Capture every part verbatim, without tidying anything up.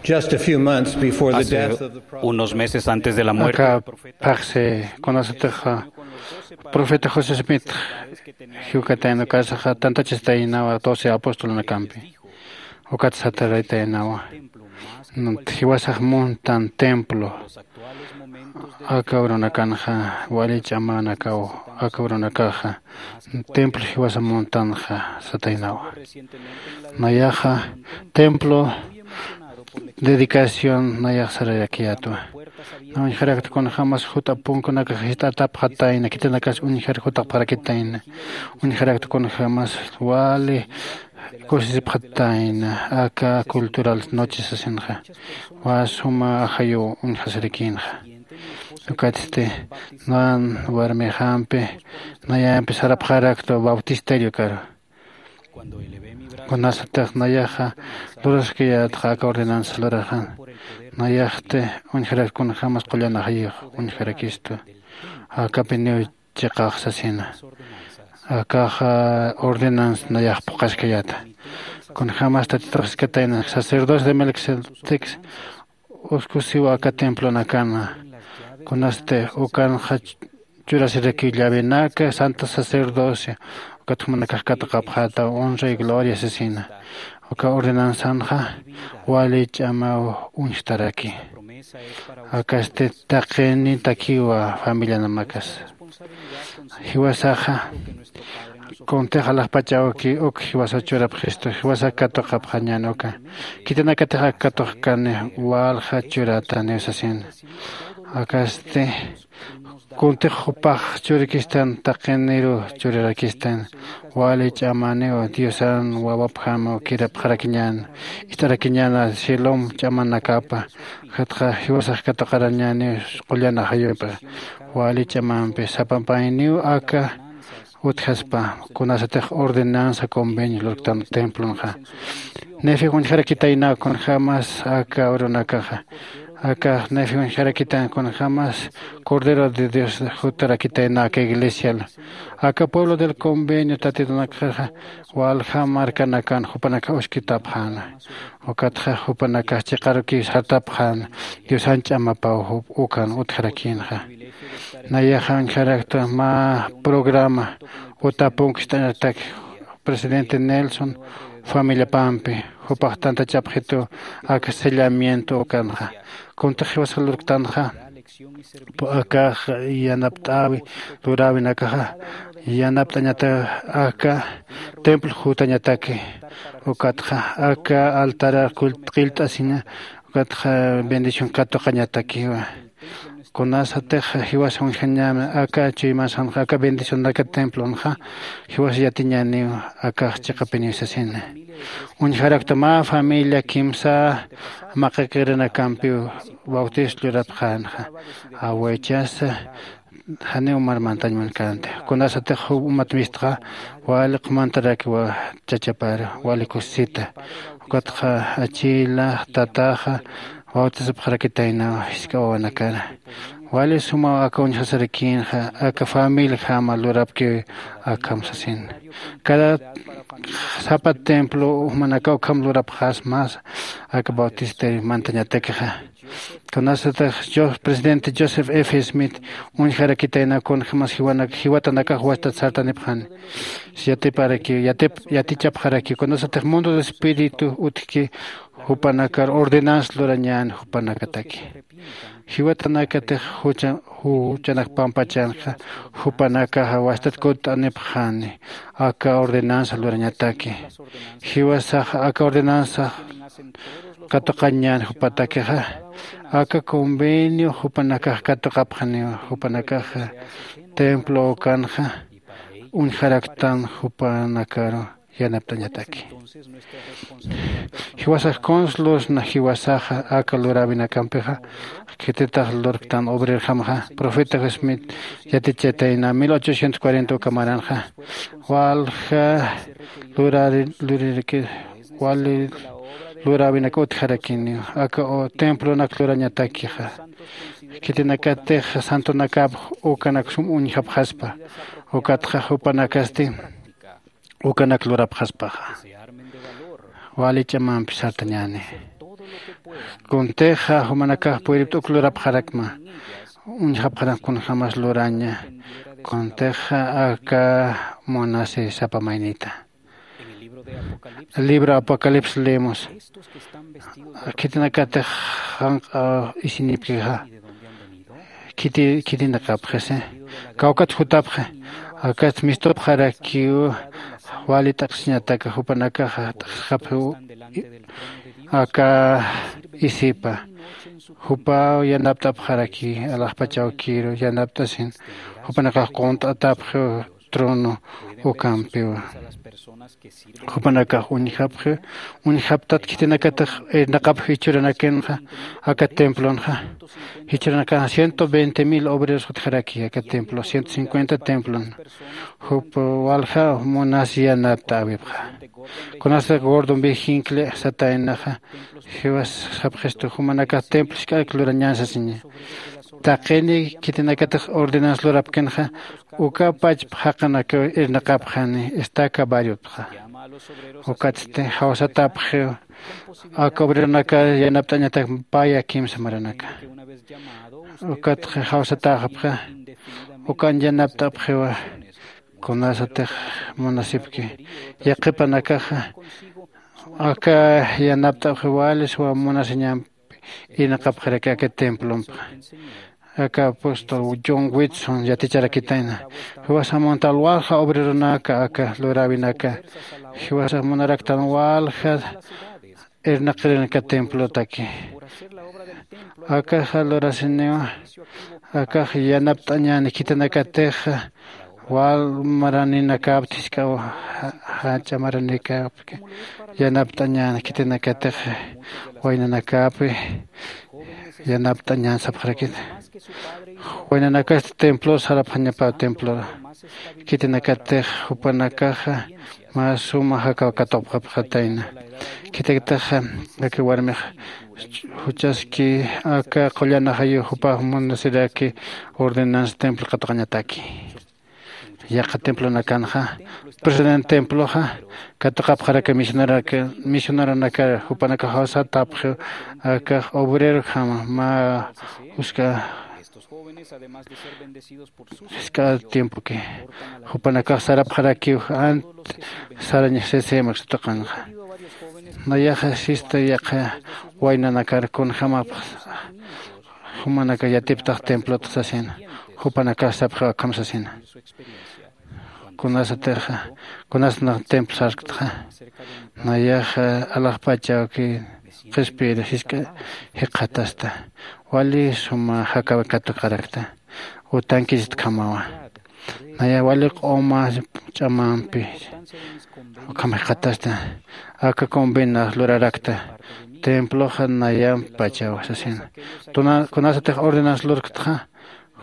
Just a few months before the Hace death of the prophet, unos meses antes de la muerte del profeta, phaxsi kunasatix profeta José Smith jiwkatayna ukasaxa tantachistaynawa doce apostolnakampi. Ukat sataraytaynawa, jiwasax muntan templo aka urunakanxa, wali ch'amanakaw aka urunakaxa templo jiwasa muntanxa sataynawa. Nayaxa templo dedicación nayax sararakiyätwa. Na uñjarakta kunjämas jut'ap punkunakax jist'atapxatayna, khitinakas uñjar jut'apxarakitayna. Uñjarakta kunjämas wali kusisipxatayna aka cultural noche sasinxa, wa suma ajayu uñjasirakinxa. Ukatsti nan warmixampi nayampi sarapxarakta bautisterio karu. Kunasatix nayaxa luraskayätxa aka ordenanza luraxan, nayaxti uñjarak kunjämas qullan ajayux uñjarakistu. Akapiniw chiqax sasina. Akaxa ordenanza nayax phuqhaskayäta. Kunjämas Tatitux jiskatayna sacerdocio de Melquisedec uskusiw aka templonakana. Kunasti ukanxa churasirakiw llavenaka santa sacerdocio, ukat jumanakax katuqapxäta honra y gloria sasina. Uka ordenanzanxa wali ch'amaw uñjtaraki. Akasti taqinitakiwa familianamakas. Jiwasaxa kuntix alaxpachawki uk jiwasaw churapxistu, jiwasax katuqapxañän uka. Khitinakatix ak katuqkani walja churätaniw sasin. Akasti kuntix jupax churikistan taqiniru churarakistan, wali ch'amaniw Diosan wawapjamaw kirapxarakiñän, ist'arakiñäna cielom ch'amanakapa. Ukatxa jiwasax katuqarañäniw qullan ajayumpi, wali ch'amampi sapapayniw aka utjaspa, kunasatix ordenanza convenio lurktan templonxa. Nefi uñjarakitayna kunjämas aka urunakaxa. Aka Nefi uñjarakitan kunjämas Cordero de Dios jutarakitayna aka iglesial. Aka pueblo del convenio Tatitunakaxa walja markanakan jupanakax uskitapxäna. Ukatxa jupanakax chiqarukiw sartapxäna Diosan ch'amapaw jup ukan utjarakïnxa. Nayaxa uñjarakta mä programa utapunk ist'añatak presidente Nelson familiapampi, jupax tantachapxitu aka sellamiento ukanxa. Kuntix jiwasax lurktanxa, akax yanapt'äwi luräwinakaxa yanapt'añata aka templo jutañataki. Ukatxa aka altarar qillt'asina, ukatxa bendición katuqañatakiwa. Kunasatix jiwas uñjañäni aka chuymasanxa, aka bendicionaka templonxa, jiwas yatiñäniw akax chiqapiniw sasina. Uñjarakta mä familia kimsa maqikirinakampiw bautizo lurapxänxa. Awaychasa janiw marmantañ munkänti. Kunasatix jup umat mistxa wali q'umantaraki chachapar wali kusisita. Ukatxa achila tataxa bautizapxarakitaynaw jisk'a wawanakana. Wali sumaw aka uñjasarakïnxa, aka familiajama lurapkiw akham sasin. Cada sapa templo jumanakaw ukham lurapxasma aka bautisterio mantañatakixa. Kunasatix Jos-, presidente Joseph F. Smith uñjarakitayna kunjämas jiwanak-, jiwatanakax wastat sartanipxani. Yatiparakiw, yatip-, yatichapxarakiw. Kunasatix mundo de espíritu utjki jupanakar ordenanza lurañäni jupanakataki. Jiwatanakatix jucha-, juchanak pampachanxa, jupanakaxa wastat kutt'anipxani aka ordenanza lurañataki. Jiwasaxa aka ordenanza katuqañäni jupatakixa, aka convenio jupanakax katuqapxaniwa, jupanakaxa templo ukanxa uñjaraktan jupanakaru yanapt'añataki. Jiwasax kuns lurasna jiwasaxa aka luräwinakampixa, khititax lurktan obrerjamxa, profeta Smith yatichatayna mil ochocientos cuarenta uka maranxa, walja lurari-, luriraki, wali luräwinak utjarakiniw, aka u-, templonak lurañatakixa. Khitinakatix santonakap ukanak sum uñjapxaspa, ukatxa jupanakasti ukanak lurapxaspaxa. Wali ch'amampi sartañäni. Kuntixa jumanakax puyript'uk lurapxarakma. Uñjapxarak kunjämas luraña. Kuntixa aka munasi sapa maynita. Libro apocalipsis leemos. Khitinakatix janq'a isinipkixa khiti khitinakapxisi. Kawkat jutapxi. Akat mistupxarakiw wali t'aqsiñataka jupanakaxa t'aqsxapxiw aka isipa. Jupaw yanapt'apxaraki alaxpachawkiru yanapt'asin. Jupanakax qunt'atapxiw trono ukampiwa. Jupanakax uñjapxi uñjaptat khitinakatix irnaqapxi jichhuranakanxa aka templonxa. Jichhuranakanxa ciento veinte mil obreros jutjaraki aka templo ciento cincuenta templon. Jup walja munas yanapt'äwipxa. Kunasa gordon bijincle sataynaxa jiwas sapxistu jumanakax templo jisk'arak lurañän sasiña. Taqini khitinakatix ordenansa lurapkinxa uka pachpa jaqinakaw irnaqapxani estaca variopxa. Ukatsti jawsatapxiw aka obreronaka yanapt'añatak paya kimsa maranaka. Ukatxa jawsatäxapxa ukan yanapt'apxiwa. Kunasatix munasipki yaqhipanakaxa aka yanapt'apxiw wali suwa munasiñampi irnaqapxaraki aka templompa. Aka apóstol John Whitson yaticharakitayna jiwasamunta alwalja obreronaka aka luräwinaka jiwasax munaraktan walja irnaqirinaka templotaki. Akaxa lurasiniwa akax yanapt'añäni khitinakatixa wal maraninakapti jisk'aw jach'a maranikapki yanapt'añäni khitinakatixa waynanakapi yanapt'añän sapxarakit. Waynanakasti templo sarapxañapaw templora khitinakatix jupanakaxa mä suma jakaw katuqapxatayna. Khitikatixa aka warmix juchaski aka qullanaxayu jupax munasiraki ordenansa templo katuqañataki. Yaqha templonakanxa presidente temploxa katuqapxaraka misioneronakar jupanakax jawsatapxiw akax obrerojama mä juska jisk'a tiempoki jupanakax sarapxarakiw ant sarañax sisïmak satuqanxa. Nayaxa sista yaqha waynanakar kunjämapx jumanakax yatiptax templotx sasina. Jupanakax sapxiw akham sasina. Kunasatixa kunasnax templo sarktxa nayaxa alaxpachawki qhispiyir jisk'a jikxatasta wali suma jakawi katuqarakta. Utankisitkhamawa naya wali q'uma ch'amampi ukham jikxatasta. Aka convenax lurarakta temploxa nayampachawa sasina. Kunasatix ordenansa lurktxa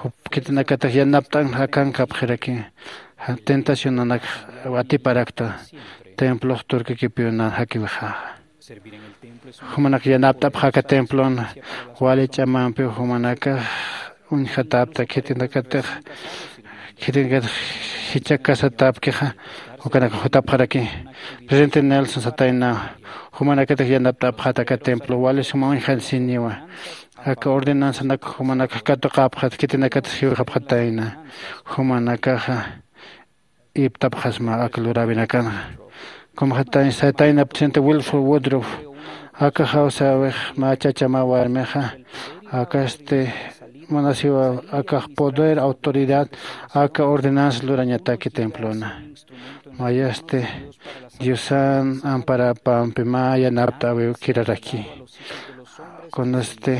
jup khitinakatix yanapt'an jakankapxiraki tentacionanakx atiparakta. Templox turkikipiw nan jakiwixaxa jumanak yanapt'apxaka templon wali ch'amampiw jumanakax uñjatapta khitinakatix khitinakatix jichhakasatapkixa ukanak jutapxaraki. Presidente nelson sataynaw jumanakatix yanapt'apxata aka templo wali suma uñjansiniwa. Aka ordenansanak jumanakax katuqapxat khitinakatix jiwxapxatayna jumanakaxa iptapxasma aka luräwinakanxa. Kumxatayna satayna presidente wilford woodruff aka jawsäwix mä chachama warmixa akasti munasiwa akax poder autoridad aka ordenansa lurañataki templona. Mayasti diosan amparapampi mä yanapt'äwiw kiraraki. Kunasti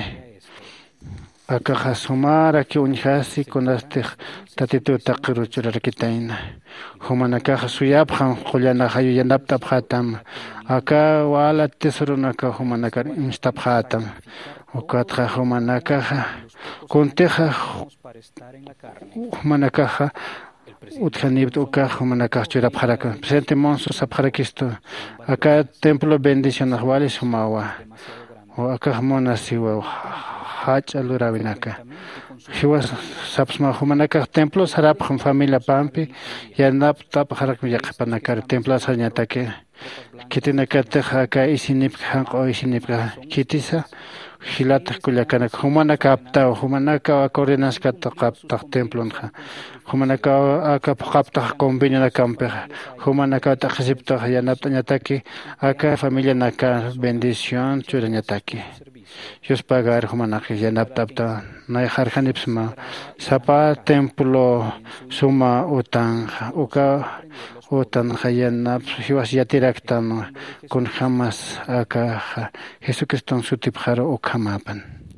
akaxa sumarakiw uñjasi kunastix tatituw taqiruch urarakitayna. Jumanakaxa suyapxam qullanaxayu yanapt'apxätam aka wala tesoronakaw jumanakar imstapxätam. Ukatxa jumanakaxa kuntixa jumanakaxa utjanipta ukax jumanakax churapxarakma presidente monso sapxarakistu aka templo bendicionax wali sumawa. Akax munasiwa jach'a luräwinaka jiwas sapsma jumanakax templo sarapxam familiapampi yanapt'apxarakma yaqhipanakar templo sarañataki. Khitinakatix aka isinipka janq'u isinipka khitisa. Jilatax kullakanak jumanakaptaw jumanakaw aka ordenanskata qaptax templonxa jumanakaw aka phuqaptax convenionakampixa jumanakaw t'aqhisiptax yanapt'añataki aka familianaka bendición churañataki. Yuspagar jumanaqis yanapt'apta nayxarjanipsma sapa templo suma utanxa uka utanxa yanapsa jiwas yatiraktan kunjämas akaxa jesucriston sutipxaru ukhamapan.